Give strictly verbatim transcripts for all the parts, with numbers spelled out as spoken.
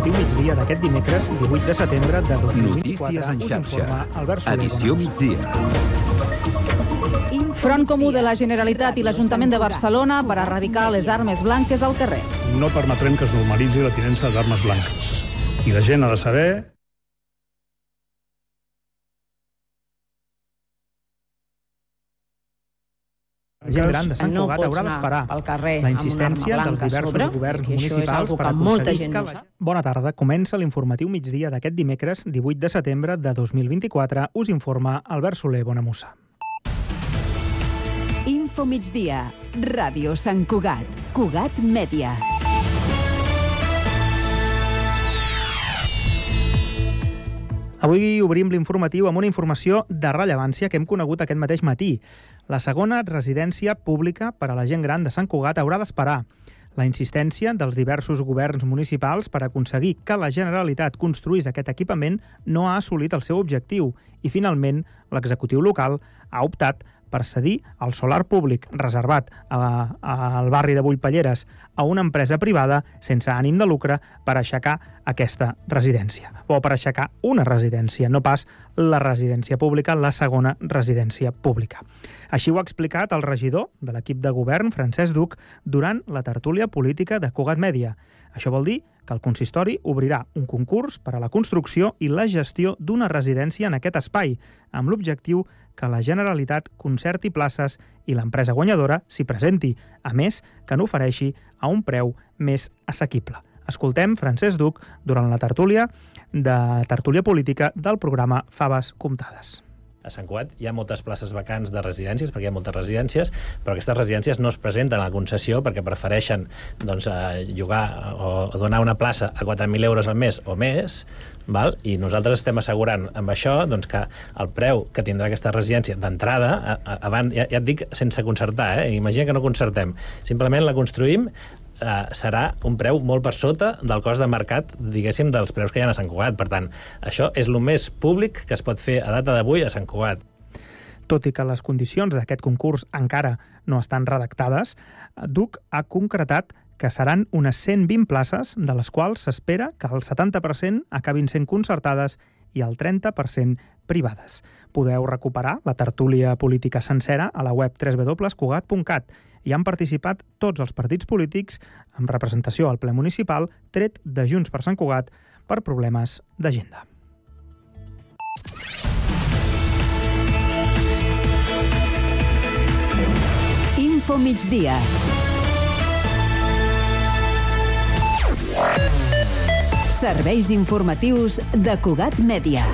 informatiu migdia d'aquest dimecres, divuit de setembre de dos mil vint-i-quatre. Notícies en xarxa. Albert Soler, Edició migdia. Front comú de la Generalitat i l'Ajuntament de Barcelona per erradicar les armes blanques al carrer. No permetrem que es normalitzi la tinença d'armes blanques. I la gent ha de saber... La gent gran de Sant Cugat haurà d'esperar la insistència dels diversos governs municipals per aconseguir que la... Bona tarda. Comença l'informatiu migdia d'aquest dimecres, divuit de setembre de dos mil vint-i-quatre. Us informa Albert Soler Bonamussa. Info migdia. Ràdio Sant Cugat. Cugat Mèdia. Avui obrim l'informatiu amb una informació de rellevància que hem conegut aquest mateix matí. La segona residència pública per a la gent gran de Sant Cugat haurà d'esperar. La insistència dels diversos governs municipals per aconseguir que la Generalitat construís aquest equipament no ha assolit el seu objectiu i, finalment, l'executiu local ha optat per cedir el solar públic reservat a, a, al barri de Bullpalleres a una empresa privada sense ànim de lucre per aixecar aquesta residència. O per aixecar una residència, no pas la residència pública, la segona residència pública. Així ho ha explicat el regidor de l'equip de govern, Francesc Duc, durant la tertúlia política de Cugat Mèdia. Això vol dir que el consistori obrirà un concurs per a la construcció i la gestió d'una residència en aquest espai, amb l'objectiu que la Generalitat concerti places i l'empresa guanyadora s'hi presenti, a més que n'ofereixi a un preu més assequible. Escoltem Francesc Duc durant la tertúlia de tertúlia política del programa Faves Comptades. A Sant Cugat hi ha moltes places vacants de residències, perquè hi ha moltes residències, però aquestes residències no es presenten a la concessió perquè prefereixen doncs, llogar o donar una plaça a quatre mil euros al mes o més, val? I nosaltres estem assegurant amb això doncs, que el preu que tindrà aquesta residència d'entrada, abans, ja, ja et dic sense concertar, eh? Imagina que no concertem, simplement la construïm, Uh, serà un preu molt per sota del cost de mercat, diguéssim, dels preus que hi ha a Sant Cugat. Per tant, això és el més públic que es pot fer a data d'avui a Sant Cugat. Tot i que les condicions d'aquest concurs encara no estan redactades, Duc ha concretat que seran unes cent vint places, de les quals s'espera que el setanta per cent acabin sent concertades i el trenta per cent privades. Podeu recuperar la tertúlia política sencera a la web w w w punt cugat punt cat. Hi han participat tots els partits polítics amb representació al ple municipal, tret de Junts per Sant Cugat per problemes d'agenda. Info migdia. Serveis informatius de Cugat Mèdia.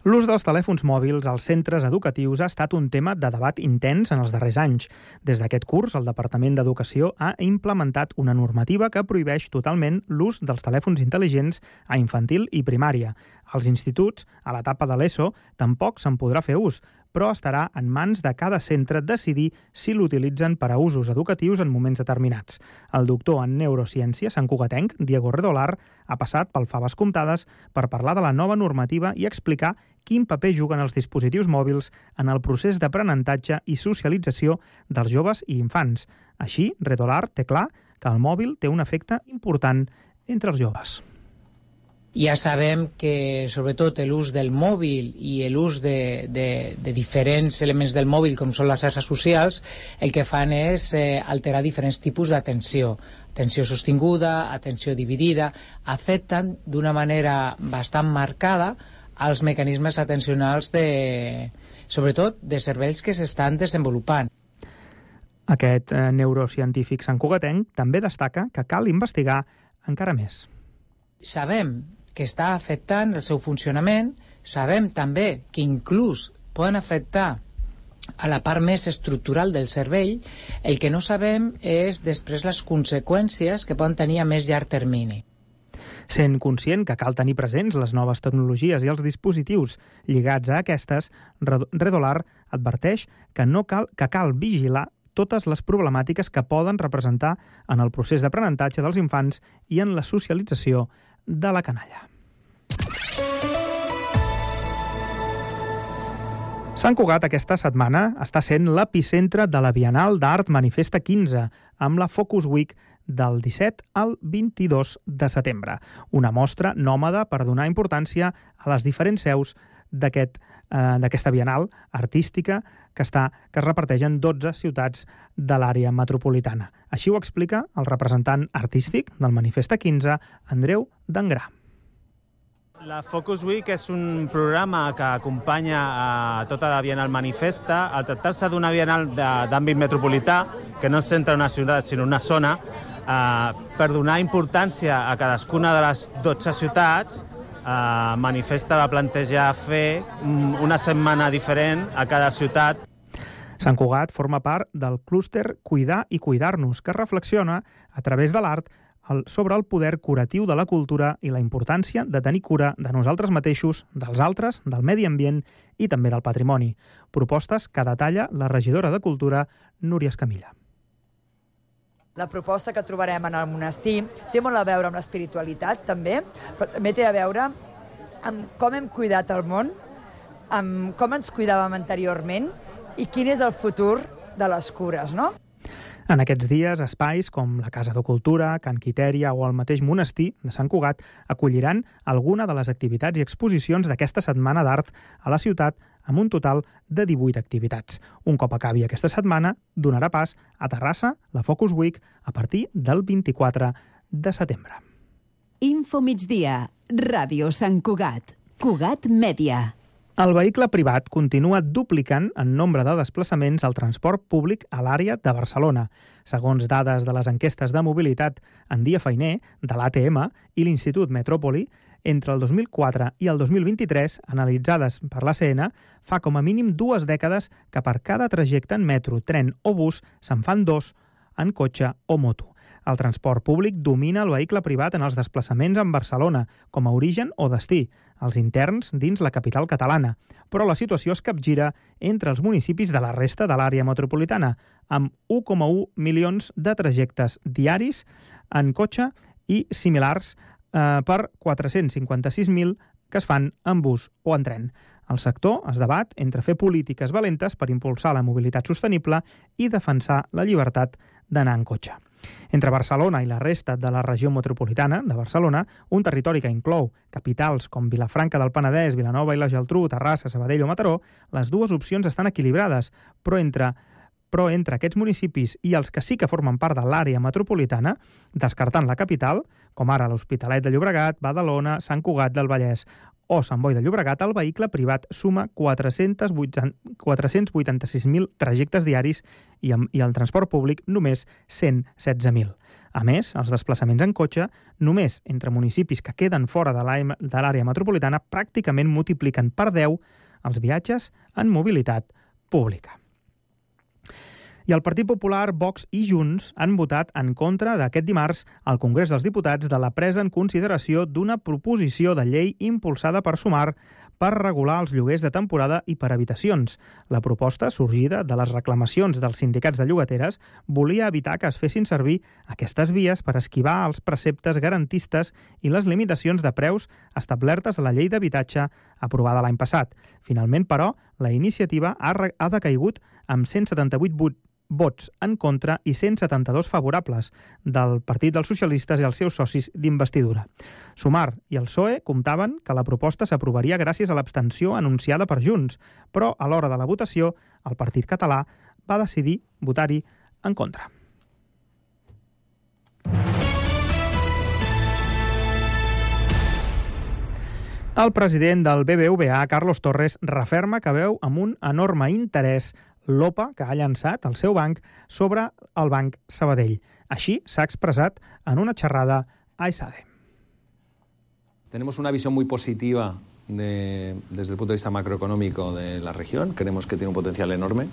L'ús dels telèfons mòbils als centres educatius ha estat un tema de debat intens en els darrers anys. Des d'aquest curs, el Departament d'Educació ha implementat una normativa que prohibeix totalment l'ús dels telèfons intel·ligents a infantil i primària. Als instituts, a l'etapa de l'ESO, tampoc se'n podrà fer ús, però estarà en mans de cada centre decidir si l'utilitzen per a usos educatius en moments determinats. El doctor en neurociència santcugatenc, Diego Redolar, ha passat pel Faves Comptades per parlar de la nova normativa i explicar quin paper juguen els dispositius mòbils en el procés d'aprenentatge i socialització dels joves i infants. Així, Redolar té clar que el mòbil té un efecte important entre els joves. Ja sabem que, sobretot, l'ús del mòbil i l'ús de, de, de diferents elements del mòbil, com són les xarxes socials, el que fan és eh, alterar diferents tipus d'atenció. Atenció sostinguda, atenció dividida, afecten d'una manera bastant marcada els mecanismes atencionals, de, sobretot, de cervells que s'estan desenvolupant. Aquest eh, neurocientífic santcugatenc també destaca que cal investigar encara més. Sabem que està afectant el seu funcionament, sabem també que inclús poden afectar a la part més estructural del cervell. El que no sabem és després les conseqüències que poden tenir a més llarg termini. Sent conscient que cal tenir presents les noves tecnologies i els dispositius lligats a aquestes, Redolar adverteix que, no cal, que cal vigilar totes les problemàtiques que poden representar en el procés d'aprenentatge dels infants i en la socialització de la canalla. Sant Cugat aquesta setmana està sent l'epicentre de la Bienal d'Art Manifesta quinze, amb la Focus Week del disset al vint-i-dos de setembre. Una mostra nòmada per donar importància a les diferents seus d'aquest, eh, d'aquesta Bienal artística que, està, que es reparteix en dotze ciutats de l'àrea metropolitana. Així ho explica el representant artístic del Manifesta quinze, Andreu Dangrà. La Focus Week és un programa que acompanya a tota la Bienal Manifesta. Al tractar-se d'una Bienal d'àmbit metropolità, que no es centra en una ciutat sinó en una zona, eh, per donar importància a cadascuna de les dotze ciutats, eh, Manifesta va plantejar fer una setmana diferent a cada ciutat. Sant Cugat forma part del clúster Cuidar i Cuidar-nos, que reflexiona a través de l'art sobre el poder curatiu de la cultura i la importància de tenir cura de nosaltres mateixos, dels altres, del medi ambient i també del patrimoni. Propostes que detalla la regidora de Cultura, Núria Escamilla. La proposta que trobarem en el monestir té molt a veure amb l'espiritualitat, també, però també té a veure amb com hem cuidat el món, amb com ens cuidàvem anteriorment i quin és el futur de les cures, no? En aquests dies, espais com la Casa de Cultura, Can Quitèria o el mateix monestir de Sant Cugat acolliran alguna de les activitats i exposicions d'aquesta setmana d'art a la ciutat amb un total de divuit activitats. Un cop acabi aquesta setmana, donarà pas a Terrassa la Focus Week a partir del vint-i-quatre de setembre. Info migdia, Ràdio Sant Cugat, Cugat Mèdia. El vehicle privat continua duplicant en nombre de desplaçaments al transport públic a l'àrea de Barcelona. Segons dades de les enquestes de mobilitat en dia feiner de l'A T M i l'Institut Metròpoli, entre el dos mil quatre i el dos mil vint-i-tres, analitzades per l'A C N, fa com a mínim dues dècades que per cada trajecte en metro, tren o bus se'n fan dos en cotxe o moto. El transport públic domina el vehicle privat en els desplaçaments en Barcelona, com a origen o destí, els interns dins la capital catalana. Però la situació es capgira entre els municipis de la resta de l'àrea metropolitana, amb un coma un milions de trajectes diaris en cotxe i similars eh, per quatre-cents cinquanta-sis mil que es fan en bus o en tren. El sector es debat entre fer polítiques valentes per impulsar la mobilitat sostenible i defensar la llibertat d'anar en cotxe. Entre Barcelona i la resta de la regió metropolitana de Barcelona, un territori que inclou capitals com Vilafranca del Penedès, Vilanova i la Geltrú, Terrassa, Sabadell o Mataró, les dues opcions estan equilibrades, però entre, però entre aquests municipis i els que sí que formen part de l'àrea metropolitana, descartant la capital, com ara l'Hospitalet de Llobregat, Badalona, Sant Cugat del Vallès o Sant Boi de Llobregat, el vehicle privat suma quatre-cents vuitanta-sis mil trajectes diaris i, i el transport públic només cent setze mil. A més, els desplaçaments en cotxe, només entre municipis que queden fora de l'àrea metropolitana, pràcticament multipliquen per deu els viatges en mobilitat pública. I el Partit Popular, Vox i Junts han votat en contra d'aquest dimarts al Congrés dels Diputats de la presa en consideració d'una proposició de llei impulsada per Sumar per regular els lloguers de temporada i per habitacions. La proposta, sorgida de les reclamacions dels sindicats de llogateres, volia evitar que es fessin servir aquestes vies per esquivar els preceptes garantistes i les limitacions de preus establertes a la llei d'habitatge aprovada l'any passat. Finalment, però, la iniciativa ha, ha decaigut amb cent setanta-vuit vots en contra i cent setanta-dos favorables del Partit dels Socialistes i els seus socis d'investidura. Sumar i el P S O E comptaven que la proposta s'aprovaria gràcies a l'abstenció anunciada per Junts, però a l'hora de la votació el partit català va decidir votar-hi en contra. El president del B B V A, Carlos Torres, referma que veu amb un enorme interès l'O P A que ha llançat el seu banc sobre el Banc Sabadell. Així s'ha expressat en una xerrada a ESADE. Tenemos una visión muy positiva de, desde el punto de vista macroeconómico de la región. Creemos que tiene un potencial enorme.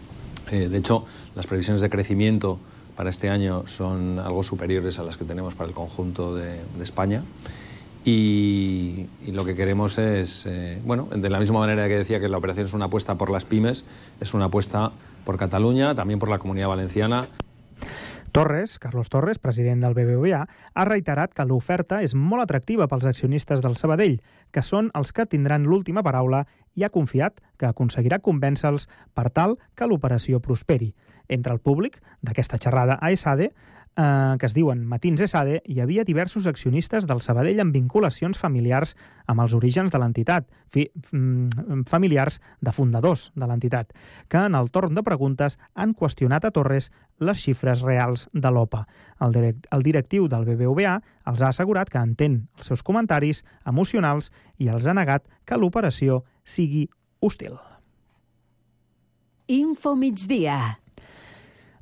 Eh, de hecho, las previsiones de crecimiento para este año son algo superiores a las que tenemos para el conjunto de, de España. Y, y lo que queremos es, eh, bueno, de la misma manera que decía que la operación es una apuesta por las pymes, es una apuesta por Cataluña, también por la Comunidad Valenciana. Torres, Carlos Torres, president del B B V A, ha reiterat que l'oferta és molt atractiva pels accionistes del Sabadell, que són els que tindran l'última paraula, i ha confiat que aconseguirà convèncer-los per tal que l'operació prosperi. Entre el públic d'aquesta xerrada a ESADE eh, que es diuen Matins S A D, hi havia diversos accionistes del Sabadell amb vinculacions familiars amb els orígens de l'entitat, fi, familiars de fundadors de l'entitat, que en el torn de preguntes han qüestionat a Torres les xifres reals de l'O P A. El, direct, el directiu del B B V A els ha assegurat que entén els seus comentaris emocionals i els ha negat que l'operació sigui hostil. Info migdia.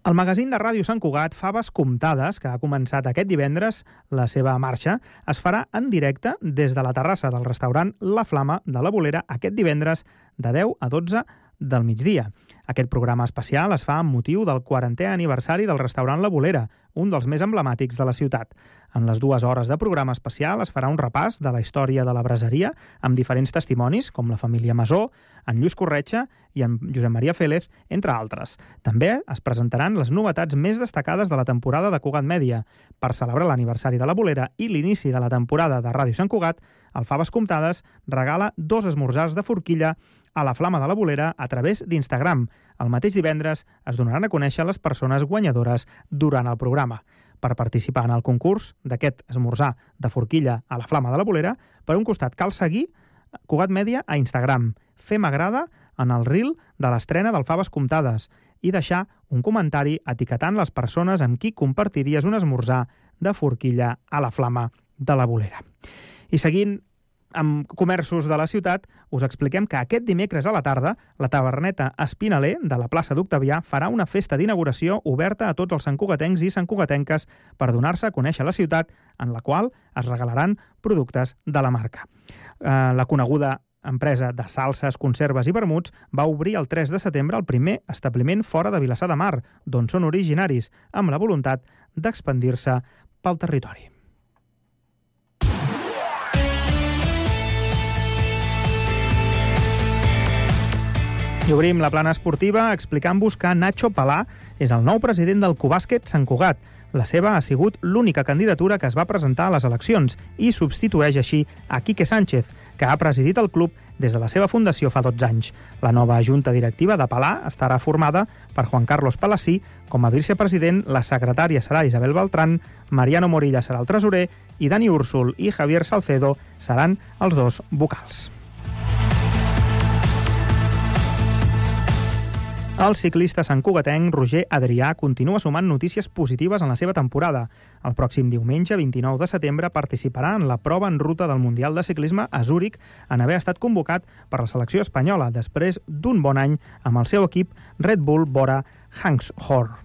El magazín de Ràdio Sant Cugat, Faves Comptades, que ha començat aquest divendres la seva marxa, es farà en directe des de la terrassa del restaurant La Flama de la Bolera aquest divendres de deu a dotze del migdia. Aquest programa especial es fa amb motiu del quarantè aniversari del restaurant La Bolera, un dels més emblemàtics de la ciutat. En les dues hores de programa especial es farà un repàs de la història de la braseria amb diferents testimonis, com la família Masó, en Lluís Corretja i en Josep Maria Félez, entre altres. També es presentaran les novetats més destacades de la temporada de Cugat Mèdia. Per celebrar l'aniversari de la Bolera i l'inici de la temporada de Ràdio Sant Cugat, el Faves Comptades regala dos esmorzars de forquilla a la Flama de la Bolera a través d'Instagram. El mateix divendres es donaran a conèixer les persones guanyadores durant el programa. Per participar en el concurs d'aquest esmorzar de forquilla a la Flama de la Bolera, per un costat cal seguir Cugat Mèdia a Instagram, fer m'agrada en el reel de l'estrena del Faves Comptades i deixar un comentari etiquetant les persones amb qui compartiries un esmorzar de forquilla a la Flama de la Bolera. I seguint amb comerços de la ciutat, us expliquem que aquest dimecres a la tarda la taverneta Espinaler de la plaça d'Octavià farà una festa d'inauguració oberta a tots els santcugatencs i santcugatenques per donar-se a conèixer la ciutat, en la qual es regalaran productes de la marca. Eh, la coneguda empresa de salses, conserves i vermuts va obrir el tres de setembre el primer establiment fora de Vilassar de Mar, d'on són originaris, amb la voluntat d'expandir-se pel territori. I obrim la plana esportiva explicant-vos que Nacho Palà és el nou president del Cubàsquet Sant Cugat. La seva ha sigut l'única candidatura que es va presentar a les eleccions i substitueix així a Quique Sánchez, que ha presidit el club des de la seva fundació fa dotze anys. La nova junta directiva de Palà estarà formada per Juan Carlos Palací com a vicepresident, la secretària serà Isabel Beltrán, Mariano Morilla serà el tresorer i Dani Úrsul i Javier Salcedo seran els dos vocals. El ciclista santcugatenc Roger Adrià continua sumant notícies positives en la seva temporada. El pròxim diumenge, vint-i-nou de setembre, participarà en la prova en ruta del Mundial de Ciclisme a Zúrich en haver estat convocat per la selecció espanyola després d'un bon any amb el seu equip Red Bull Bora Hanshofer.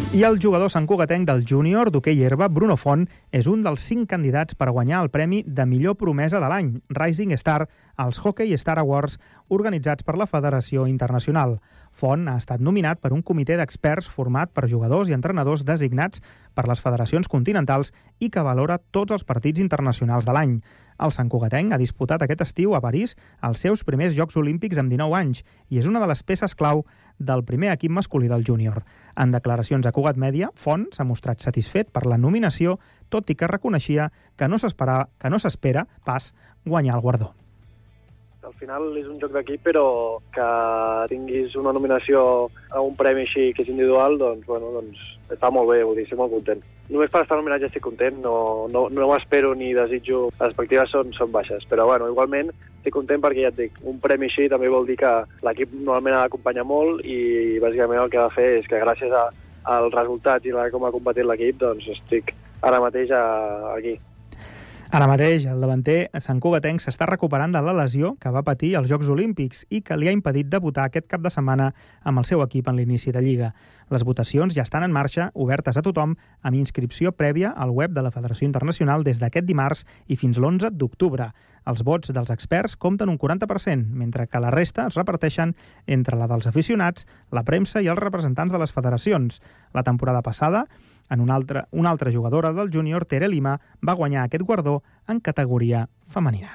I el jugador santcugatenc del júnior d'hoquei herba, Bruno Font, és un dels cinc candidats per guanyar el premi de millor promesa de l'any, Rising Star, als Hockey Star Awards organitzats per la Federació Internacional. Font ha estat nominat per un comitè d'experts format per jugadors i entrenadors designats per les federacions continentals i que valora tots els partits internacionals de l'any. El santcugatenc ha disputat aquest estiu a París els seus primers Jocs Olímpics amb dinou anys i és una de les peces clau del primer equip masculí del júnior. En declaracions a Cugat Mèdia, Font s'ha mostrat satisfet per la nominació, tot i que reconeixia que no s'espera que no s'espera pas guanyar el guardó. Al final és un joc d'equip, però que tinguis una nominació a un premi així que és individual, doncs, bueno, doncs està molt bé, vull dir, estic molt content. Només per estar nominat ja estic content, no, no, no m'espero ni desitjo, les expectatives són, són baixes, però bueno, igualment estic content perquè ja et dic, un premi així també vol dir que l'equip normalment ha d'acompanyar molt i bàsicament el que ha de fer és que gràcies a, als resultats i a com ha competit l'equip, doncs estic ara mateix a, aquí. Ara mateix, el davanter santcugatenc s'està recuperant de la lesió que va patir als Jocs Olímpics i que li ha impedit debutar aquest cap de setmana amb el seu equip en l'inici de Lliga. Les votacions ja estan en marxa, obertes a tothom, amb inscripció prèvia al web de la Federació Internacional des d'aquest dimarts i fins l'onze d'octubre. Els vots dels experts compten un quaranta per cent, mentre que la resta es reparteixen entre la dels aficionats, la premsa i els representants de les federacions. La temporada passada, en una altra, una altra jugadora del júnior, Tere Lima, va guanyar aquest guardó en categoria femenina.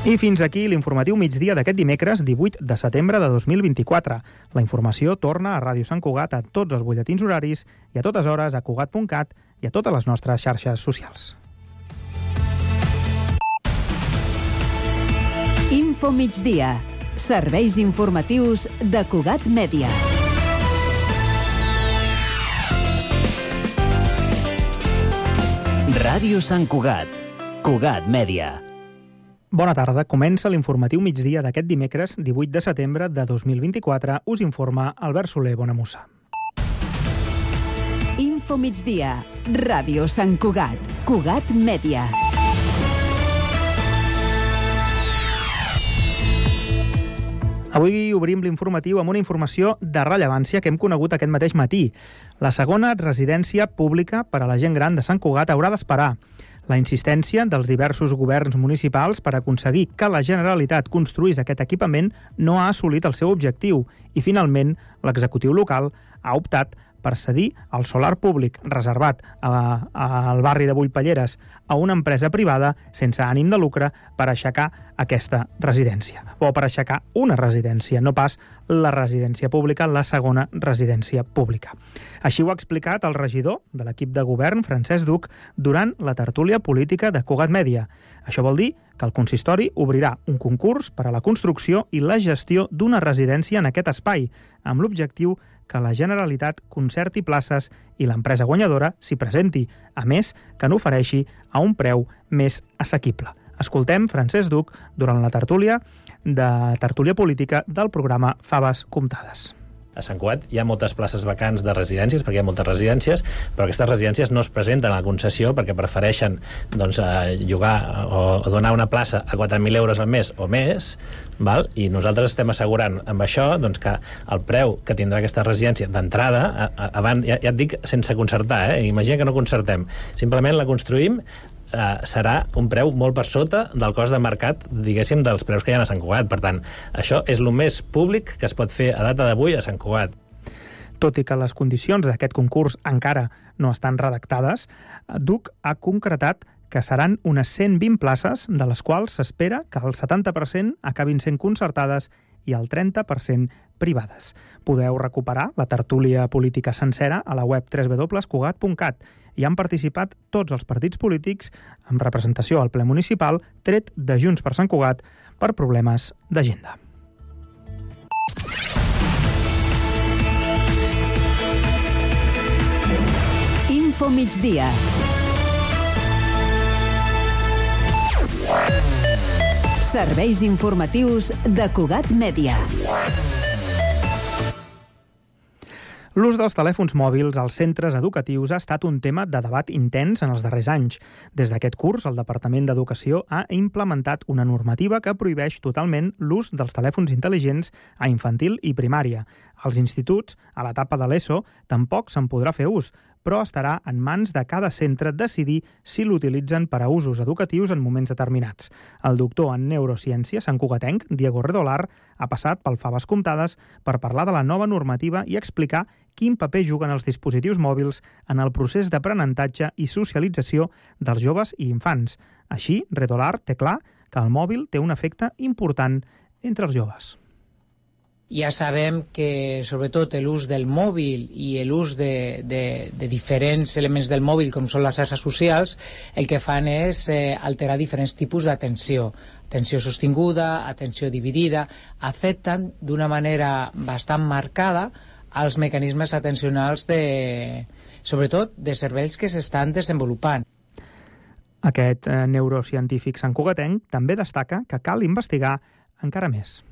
I fins aquí l'informatiu migdia d'aquest dimecres divuit de setembre de dos mil vint-i-quatre. La informació torna a Ràdio Sant Cugat a tots els butlletins horaris i a totes hores a cugat punt cat i a totes les nostres xarxes socials. Info migdia. Serveis informatius de Cugat Mèdia. Ràdio Sant Cugat. Cugat Mèdia. Bona tarda. Comença l'informatiu migdia d'aquest dimecres, divuit de setembre de dos mil vint-i-quatre. Us informa Albert Soler Bonamussa. Info migdia. Ràdio Sant Cugat. Cugat Mèdia. Avui obrim l'informatiu amb una informació de rellevància que hem conegut aquest mateix matí. La segona residència pública per a la gent gran de Sant Cugat haurà d'esperar. La insistència dels diversos governs municipals per aconseguir que la Generalitat construís aquest equipament no ha assolit el seu objectiu i, finalment, l'executiu local ha optat per cedir el solar públic reservat a, a, al barri de Bullpalleres a una empresa privada sense ànim de lucre per aixecar aquesta residència. O per aixecar una residència, no pas la residència pública, la segona residència pública. Així ho ha explicat el regidor de l'equip de govern, Francesc Duc, durant la tertúlia política de Cugat Mèdia. Això vol dir que el consistori obrirà un concurs per a la construcció i la gestió d'una residència en aquest espai, amb l'objectiu que la Generalitat concerti places i l'empresa guanyadora s'hi presenti, a més que n'ofereixi a un preu més assequible. Escoltem Francesc Duc durant la tertúlia de tertúlia política del programa Faves Comptades. A Sant Cugat hi ha moltes places vacants de residències, perquè hi ha moltes residències, però aquestes residències no es presenten a la concessió perquè prefereixen doncs, llogar o donar una plaça a quatre mil euros al mes o més, val? I nosaltres estem assegurant amb això doncs, que el preu que tindrà aquesta residència d'entrada, abans, ja, ja et dic sense concertar, eh? Imagina que no concertem, simplement la construïm, Uh, serà un preu molt per sota del cost de mercat, diguéssim, dels preus que hi ha a Sant Cugat. Per tant, això és el més públic que es pot fer a data d'avui a Sant Cugat. Tot i que les condicions d'aquest concurs encara no estan redactades, Duc ha concretat que seran unes cent vint places, de les quals s'espera que el setanta per cent acabin sent concertades i el trenta per cent privades. Podeu recuperar la tertúlia política sencera a la web w w w punt cugat punt cat. Hi han participat tots els partits polítics amb representació al ple municipal, tret de Junts per Sant Cugat per problemes d'agenda. Info migdia. Serveis informatius de Cugat Mèdia. L'ús dels telèfons mòbils als centres educatius ha estat un tema de debat intens en els darrers anys. Des d'aquest curs, el Departament d'Educació ha implementat una normativa que prohibeix totalment l'ús dels telèfons intel·ligents a infantil i primària. Als instituts, a l'etapa de l'ESO, tampoc se'n podrà fer ús, però estarà en mans de cada centre decidir si l'utilitzen per a usos educatius en moments determinats. El doctor en neurociència santcugatenc, Diego Redolar, ha passat pel Faves Comptades per parlar de la nova normativa i explicar quin paper juguen els dispositius mòbils en el procés d'aprenentatge i socialització dels joves i infants. Així, Redolar té clar que el mòbil té un efecte important entre els joves. Ja sabem que, sobretot, l'ús del mòbil i l'ús de, de, de diferents elements del mòbil, com són les xarxes socials, el que fan és eh, alterar diferents tipus d'atenció. Atenció sostinguda, atenció dividida, afecten d'una manera bastant marcada els mecanismes atencionals, de, sobretot, de cervells que s'estan desenvolupant. Aquest eh, neurocientífic santcugatenc també destaca que cal investigar encara més.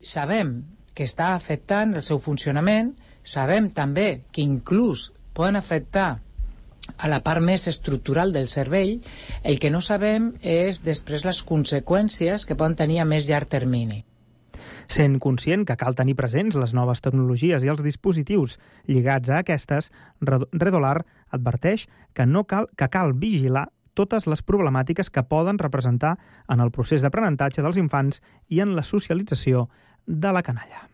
Sabem que està afectant el seu funcionament, sabem també que inclús poden afectar a la part més estructural del cervell. El que no sabem és després les conseqüències que poden tenir a més llarg termini. Sent conscient que cal tenir presents les noves tecnologies i els dispositius lligats a aquestes, Redolar adverteix que, no cal, que cal vigilar totes les problemàtiques que poden representar en el procés d'aprenentatge dels infants i en la socialització de la canalla.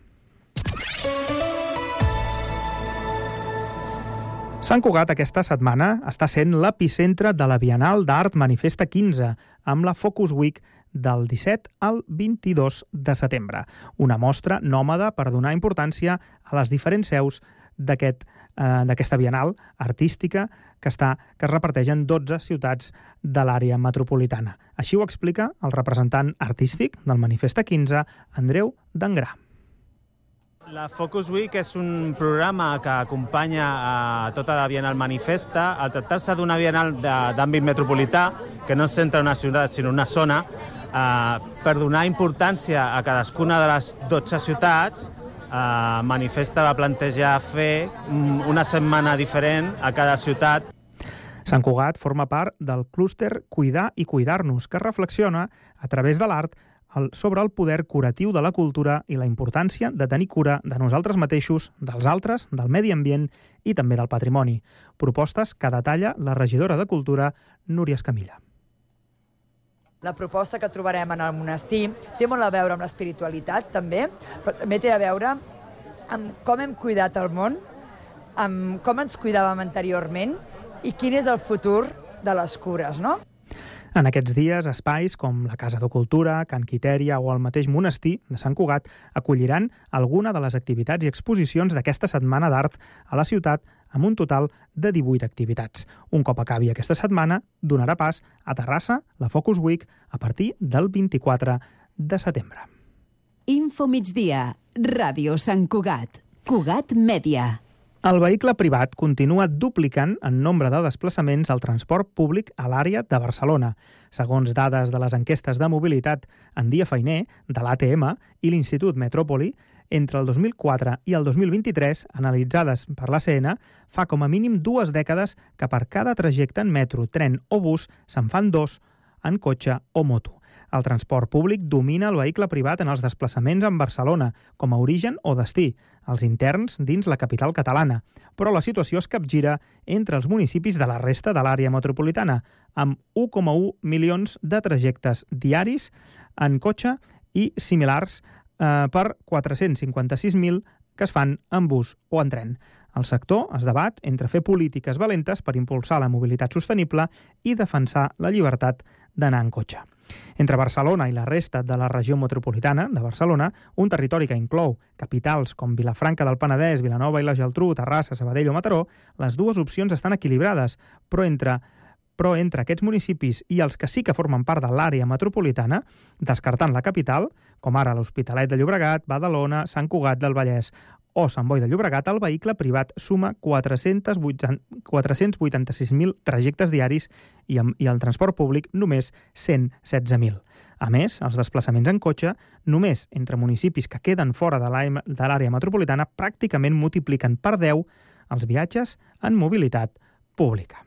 Sant Cugat aquesta setmana està sent l'epicentre de la Bienal d'Art Manifesta quinze, amb la Focus Week del disset al vint-i-dos de setembre. Una mostra nòmada per donar importància a les diferents seus d'aquest, eh, d'aquesta Bienal artística que, està, que es reparteix en dotze ciutats de l'àrea metropolitana. Així ho explica el representant artístic del Manifesta quinze, Andreu Dangrà. La Focus Week és un programa que acompanya a tota la Bienal Manifesta. Al tractar-se d'una Bienal d'àmbit metropolità, que no es centra en una ciutat sinó en una zona, eh, per donar importància a cadascuna de les dotze ciutats, eh, Manifesta va plantejar fer una setmana diferent a cada ciutat. Sant Cugat forma part del clúster Cuidar i Cuidar-nos, que reflexiona a través de l'art sobre el poder curatiu de la cultura i la importància de tenir cura de nosaltres mateixos, dels altres, del medi ambient i també del patrimoni. Propostes que detalla la regidora de Cultura, Núria Escamilla. La proposta que trobarem en el monestir té molt a veure amb l'espiritualitat, també, però també té a veure amb com hem cuidat el món, amb com ens cuidàvem anteriorment i quin és el futur de les cures, no? En aquests dies, espais com la Casa de Cultura, Can Quitèria o el mateix monestir de Sant Cugat acolliran alguna de les activitats i exposicions d'aquesta setmana d'art a la ciutat, amb un total de divuit activitats. Un cop acabi aquesta setmana, donarà pas a Terrassa la Focus Week a partir del vint-i-quatre de setembre. Info migdia, Ràdio Sant Cugat, Cugat Mèdia. El vehicle privat continua duplicant en nombre de desplaçaments al transport públic a l'àrea de Barcelona. Segons dades de les enquestes de mobilitat en dia feiner de l'A T M i l'Institut Metròpoli, entre el dos mil quatre i el dos mil vint-i-tres, analitzades per l'A C N, fa com a mínim dues dècades que per cada trajecte en metro, tren o bus se'n fan dos en cotxe o moto. El transport públic domina el vehicle privat en els desplaçaments en Barcelona, com a origen o destí, els interns dins la capital catalana. Però la situació es capgira entre els municipis de la resta de l'àrea metropolitana, amb un coma u milions de trajectes diaris en cotxe i similars eh, per quatre-cents cinquanta-sis mil que es fan en bus o en tren. El sector es debat entre fer polítiques valentes per impulsar la mobilitat sostenible i defensar la llibertat d'anar en cotxe. Entre Barcelona i la resta de la regió metropolitana de Barcelona, un territori que inclou capitals com Vilafranca del Penedès, Vilanova i la Geltrú, Terrassa, Sabadell o Mataró, les dues opcions estan equilibrades, però entre però entre aquests municipis i els que sí que formen part de l'àrea metropolitana, descartant la capital, com ara l'Hospitalet de Llobregat, Badalona, Sant Cugat del Vallès o Sant Boi de Llobregat, el vehicle privat suma quatre-cents vuitanta-sis mil trajectes diaris i, i el transport públic només cent setze mil. A més, els desplaçaments en cotxe, només entre municipis que queden fora de l'àrea metropolitana, pràcticament multipliquen per deu els viatges en mobilitat pública.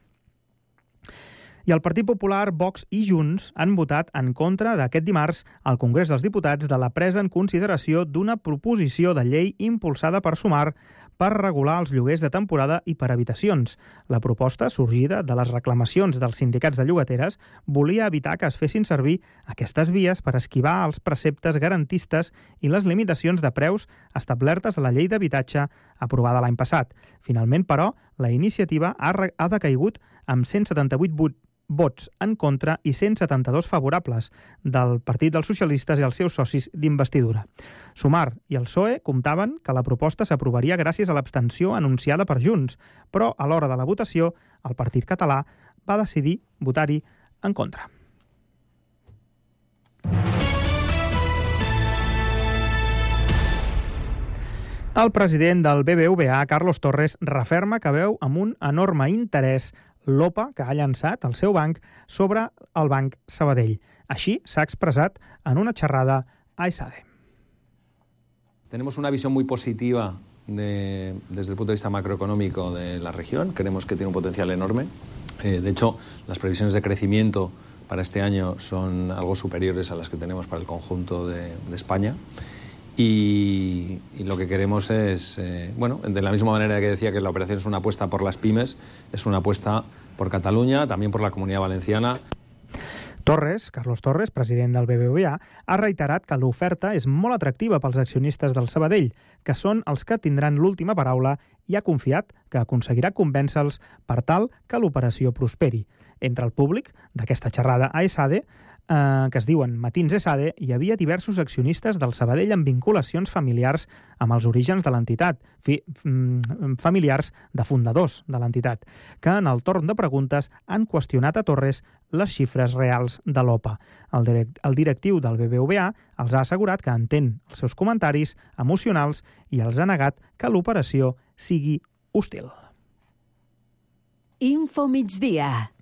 I el Partit Popular, Vox i Junts han votat en contra d'aquest dimarts al Congrés dels Diputats de la presa en consideració d'una proposició de llei impulsada per Sumar per regular els lloguers de temporada i per habitacions. La proposta, sorgida de les reclamacions dels sindicats de llogateres, volia evitar que es fessin servir aquestes vies per esquivar els preceptes garantistes i les limitacions de preus establertes a la llei d'habitatge aprovada l'any passat. Finalment, però, la iniciativa ha, ha decaigut amb cent setanta-vuit vots en contra i cent setanta-dos favorables del Partit dels Socialistes i els seus socis d'investidura. Sumar i el P S O E comptaven que la proposta s'aprovaria gràcies a l'abstenció anunciada per Junts, però a l'hora de la votació el partit català va decidir votar-hi en contra. El president del B B V A, Carlos Torres, referma que veu amb un enorme interès l'O P A que ha llançat el seu banc sobre el Banc Sabadell. Així s'ha expressat en una xerrada a ESADE. Tenemos una visión muy positiva de, desde el punto de vista macroeconómico de la región. Creemos que tiene un potencial enorme. Eh, de hecho, las previsiones de crecimiento para este año son algo superiores a las que tenemos para el conjunto de, de España. Y, y lo que queremos es, eh, bueno, de la misma manera que decía que la operación es una apuesta por las pymes, es una apuesta por Cataluña, también por la Comunidad Valenciana. Torres, Carlos Torres, president del B B V A, ha reiterat que l'oferta és molt atractiva pels accionistes del Sabadell, que són els que tindran l'última paraula i ha confiat que aconseguirà convèncer-los per tal que l'operació prosperi. Entre el públic d'aquesta xerrada a ESADE, eh, que es diuen Matins ESADE, hi havia diversos accionistes del Sabadell amb vinculacions familiars amb els orígens de l'entitat, fi, familiars de fundadors de l'entitat, que en el torn de preguntes han qüestionat a Torres les xifres reals de l'O P A. El, direct, el directiu del B B V A els ha assegurat que entén els seus comentaris emocionals i els ha negat que l'operació sigui hostil. Info migdia.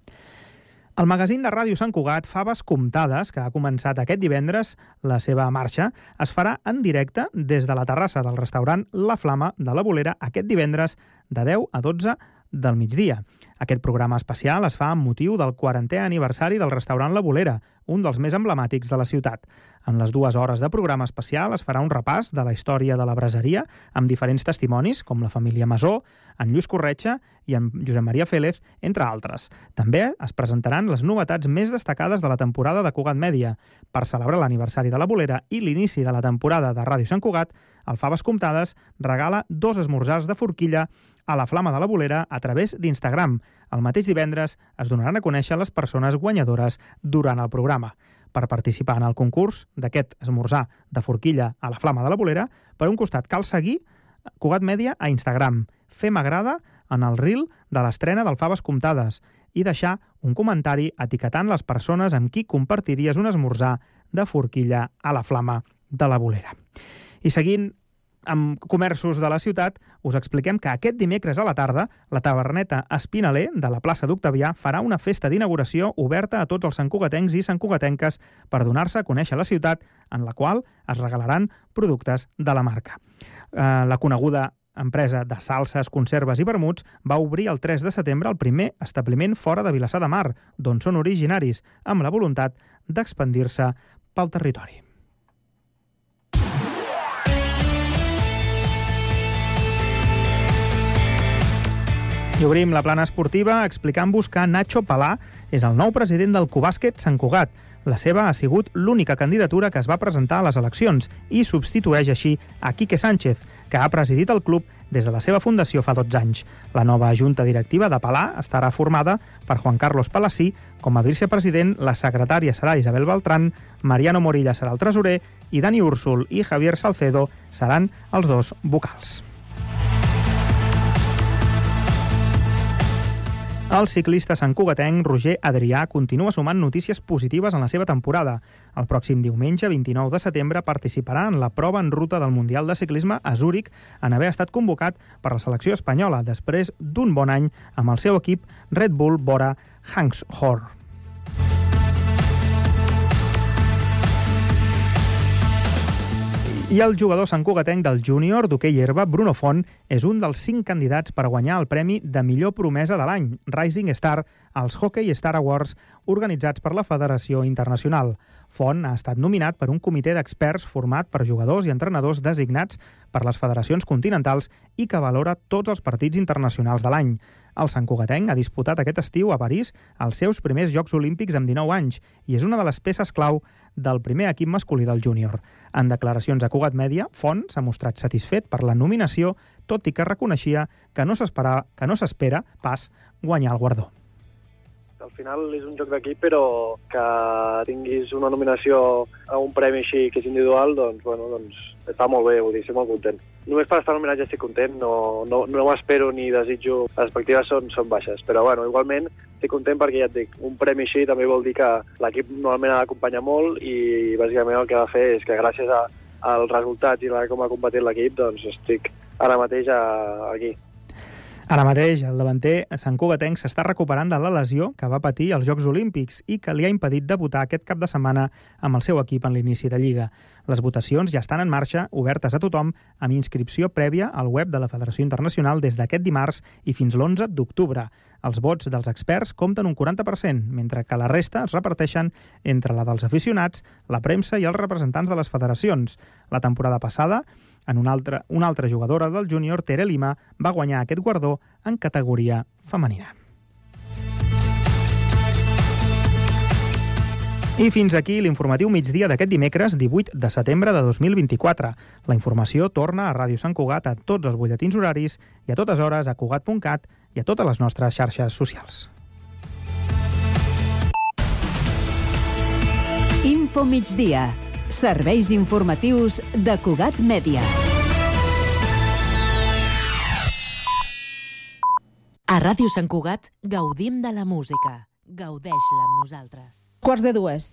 El magazín de Ràdio Sant Cugat, Faves Comptades, que ha començat aquest divendres la seva marxa, es farà en directe des de la terrassa del restaurant La Flama de la Bolera aquest divendres de deu a dotze del migdia. Aquest programa especial es fa amb motiu del quarantè aniversari del restaurant La Bolera, un dels més emblemàtics de la ciutat. En les dues hores de programa especial es farà un repàs de la història de la braseria amb diferents testimonis, com la família Masó, en Lluís Corretja i en Josep Maria Félez, entre altres. També es presentaran les novetats més destacades de la temporada de Cugat Mèdia. Per celebrar l'aniversari de la Bolera i l'inici de la temporada de Ràdio Sant Cugat, el Faves Comptades regala dos esmorzars de forquilla a la Flama de la Bolera a través d'Instagram. El mateix divendres es donaran a conèixer les persones guanyadores durant el programa. Per participar en el concurs d'aquest esmorzar de forquilla a la Flama de la Bolera, per un costat cal seguir Cugat Mèdia a Instagram, fer m'agrada en el reel de l'estrena del Faves Comptades i deixar un comentari etiquetant les persones amb qui compartiries un esmorzar de forquilla a la Flama de la Bolera. I seguint amb comerços de la ciutat, us expliquem que aquest dimecres a la tarda la taverneta Espinaler de la plaça d'Octavià farà una festa d'inauguració oberta a tots els santcugatencs i santcugatenques per donar-se a conèixer la ciutat, en la qual es regalaran productes de la marca. Eh, la coneguda empresa de salses, conserves i vermuts va obrir el tres de setembre el primer establiment fora de Vilassar de Mar, d'on són originaris, amb la voluntat d'expandir-se pel territori. I obrim la plana esportiva explicant-vos que Nacho Palà és el nou president del Cubàsquet Sant Cugat. La seva ha sigut l'única candidatura que es va presentar a les eleccions i substitueix així a Quique Sánchez, que ha presidit el club des de la seva fundació fa dotze anys. La nova junta directiva de Palà estarà formada per Juan Carlos Palací com a vicepresident, la secretària serà Isabel Beltrán, Mariano Morilla serà el tresorer i Dani Úrsul i Javier Salcedo seran els dos vocals. El ciclista santcugatenc Roger Adrià continua sumant notícies positives en la seva temporada. El pròxim diumenge, vint-i-nou de setembre, participarà en la prova en ruta del Mundial de Ciclisme a Zúrich en haver estat convocat per la selecció espanyola després d'un bon any amb el seu equip Red Bull Bora Hansgrohe. I el jugador santcugatenc del júnior d'hoquei herba, Bruno Font, és un dels cinc candidats per guanyar el premi de millor promesa de l'any, Rising Star, als Hockey Star Awards organitzats per la Federació Internacional. Font ha estat nominat per un comitè d'experts format per jugadors i entrenadors designats per les federacions continentals i que valora tots els partits internacionals de l'any. El santcugatenc ha disputat aquest estiu a París els seus primers Jocs Olímpics amb dinou anys i és una de les peces clau del primer equip masculí del júnior. En declaracions a Cugat Mèdia, Font s'ha mostrat satisfet per la nominació, tot i que reconeixia que no s'espera que no s'espera pas guanyar el guardó. Al final és un joc d'equip, però que tinguis una nominació a un premi així que és individual, doncs, bueno, doncs està molt bé, vull dir, estic molt content. Només per estar nominat ja estic content, no, no, no m'espero ni desitjo, les expectatives són, són baixes, però bueno, igualment estic content perquè ja et dic, un premi així també vol dir que l'equip normalment ha d'acompanyar molt i bàsicament el que ha de fer és que gràcies a, als resultats i a com ha competit l'equip, doncs estic ara mateix a, aquí. Ara mateix, el davanter santcugatenc s'està recuperant de la lesió que va patir als Jocs Olímpics i que li ha impedit debutar aquest cap de setmana amb el seu equip en l'inici de Lliga. Les votacions ja estan en marxa, obertes a tothom, amb inscripció prèvia al web de la Federació Internacional des d'aquest dimarts i fins l'onze d'octubre. Els vots dels experts compten un quaranta per cent, mentre que la resta es reparteixen entre la dels aficionats, la premsa i els representants de les federacions. La temporada passada, en una altra, una altra jugadora del júnior, Tere Lima, va guanyar aquest guardó en categoria femenina. I fins aquí l'informatiu migdia d'aquest dimecres divuit de setembre de dos mil vint-i-quatre. La informació torna a Ràdio Sant Cugat a tots els butlletins horaris i a totes hores a cugat punt cat i a totes les nostres xarxes socials. Info migdia. Serveis informatius de Cugat Mèdia. A Ràdio Sant Cugat gaudim de la música. Gaudeix-la amb nosaltres. Quarts de dues.